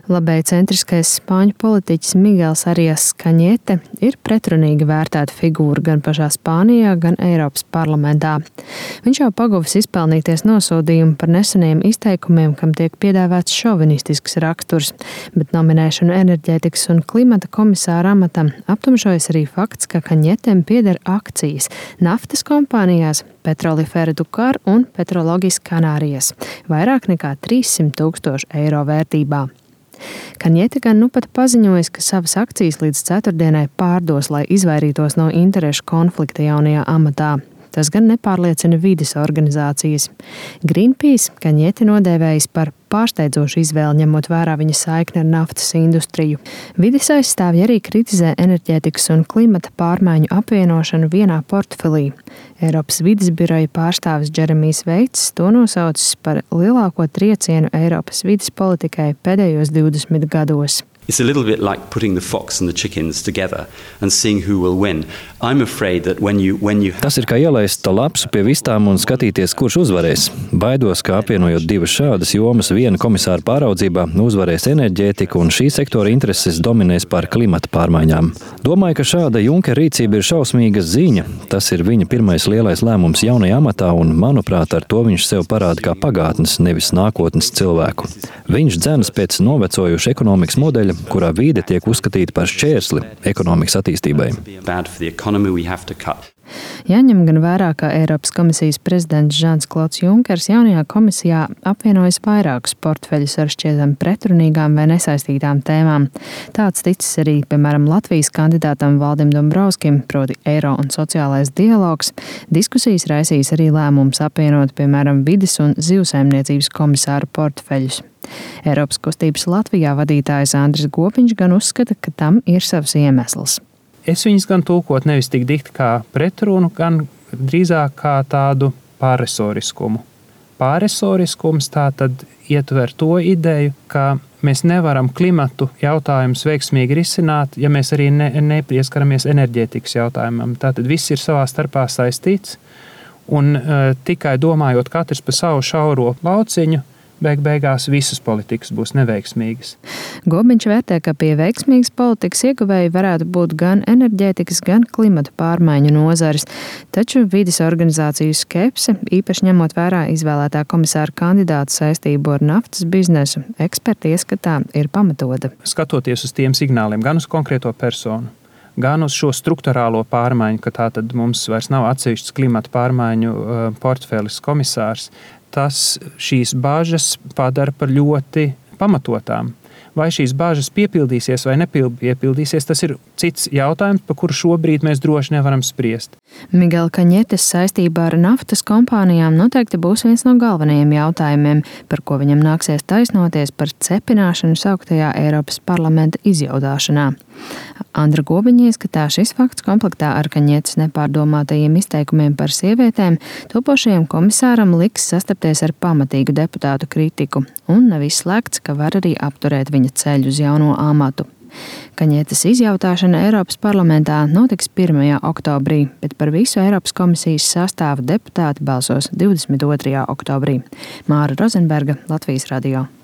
Labēji centriskais spāņu politiķis Miguels Arias Kaņete ir pretrunīgi vērtēta figūra gan pašā Spānijā, gan Eiropas parlamentā. Viņš jau paguvis izpelnīties nosodījumu par neseniem izteikumiem, kam tiek piedāvāts šovinistisks raksturs, bet nominēšanu enerģētikas un klimata komisāra amatam aptumšojas arī fakts, ka Kaņetem pieder akcijas naftas kompānijās Petrolifera Dukar un Petrologis Kanārijas, vairāk nekā 300,000 eiro vērtībā. Kaņete gan nu pat paziņojis, ka savas akcijas līdz ceturtdienai pārdos, lai izvairītos no interešu konflikta jaunajā amatā. Tas gan nepārliecina vides organizācijas. Greenpeace Kaņete nodēvējis par pārsteidzošu izvēli, ņemot vērā viņa saikni ar naftas industriju. Vides aizstāvji arī kritizē enerģētikas un klimata pārmaiņu apvienošanu vienā portfelī. Eiropas vides biroja pārstāvis Džeremijs Veits to nosaucis par lielāko triecienu Eiropas vides politikai pēdējos 20 gados. It's a little bit like putting the fox and the chickens together and seeing who will win. I'm afraid that when you Tas ir kā ielaist lapsu pie vistām un skatīties, kurš uzvarēs. Baidos, ka apvienojot divas šādas jomas viena komisāra pāraudzībā, uzvarēs enerģētika un šī sektora intereses dominēs pār klimata pārmaiņām. Domāju, ka šāda Junkera rīcība ir šausmīga ziņa. Tas ir viņa pirmais lielais lēmums jaunajā amatā un, manuprāt, ar to viņš sev parāda kā pagātnes, nevis nākotnes cilvēku. Viņš dzenas pēc novecojuša ekonomikas modeļa, kurā vīde tiek uzskatīta par šķērsli ekonomikas attīstībai. Jāņem gan vērā, ka Eiropas komisijas prezidents Žans-Klods Junkers jaunajā komisijā apvienojas vairākus portfeļus ar šķietami pretrunīgām vai nesaistītām tēmām. Tāds ticis arī, piemēram, Latvijas kandidātam Valdim Dombrovskim, proti eiro un sociālais dialogs. Diskusijas raisīs arī lēmums apvienot, piemēram, vides un zivsaimniecības komisāru portfeļus. Eiropas kustības Latvijā vadītājs Andris Gopiņš gan uzskata, ka tam ir savs iemesls. Es viņus gan tulkot nevis tik dikti kā pretrunu, gan drīzāk kā tādu pārresoriskumu. Pārresoriskums tātad ietver to ideju, ka mēs nevaram klimatu jautājumus veiksmīgi risināt, ja mēs arī nepieskaramies enerģētikas jautājumam. Tātad viss ir savā starpā saistīts, un tikai domājot katrs pa savu šauro lauciņu, beigās visas politikas būs neveiksmīgas. Gobiņš vērtē, ka pie veiksmīgas politikas ieguvēji varētu būt gan enerģētikas, gan klimata pārmaiņu nozares, taču vides organizāciju skepse, īpaši ņemot vērā izvēlētā komisāra kandidāta saistību ar naftas biznesu, eksperti ieskatā ir pamatota. Skatoties uz tiem signāliem, gan uz konkrēto personu, gan uz šo strukturālo pārmaiņu, ka tātad mums vairs nav atsevišķs klimata pārmaiņu portfelis komisārs, tas šīs bāžas padara par ļoti pamatotām. Vai šīs bāžas piepildīsies vai nepiepildīsies, tas ir cits jautājums, par kuru šobrīd mēs droši nevaram spriest. Miguela Kaņetes saistībā ar naftas kompānijām noteikti būs viens no galvenajiem jautājumiem, par ko viņam nāksies taisnoties par cepināšanu sauktajā Eiropas parlamenta izjaudāšanā. Andra Gobiņa ieskatā šis fakts komplektā ar Kaņetes nepārdomātajiem izteikumiem par sievietēm topošajam komisāram liks sastapties ar pamatīgu deputātu kritiku, un nav izslēgts, ka var arī apturēt viņa ceļu uz jauno amatu. Kaņetes izjautāšana Eiropas parlamentā notiks 1. oktobrī, bet par visu Eiropas komisijas sastāvu deputāti balsos 22. oktobrī. Māra Rozenberga, Latvijas radio.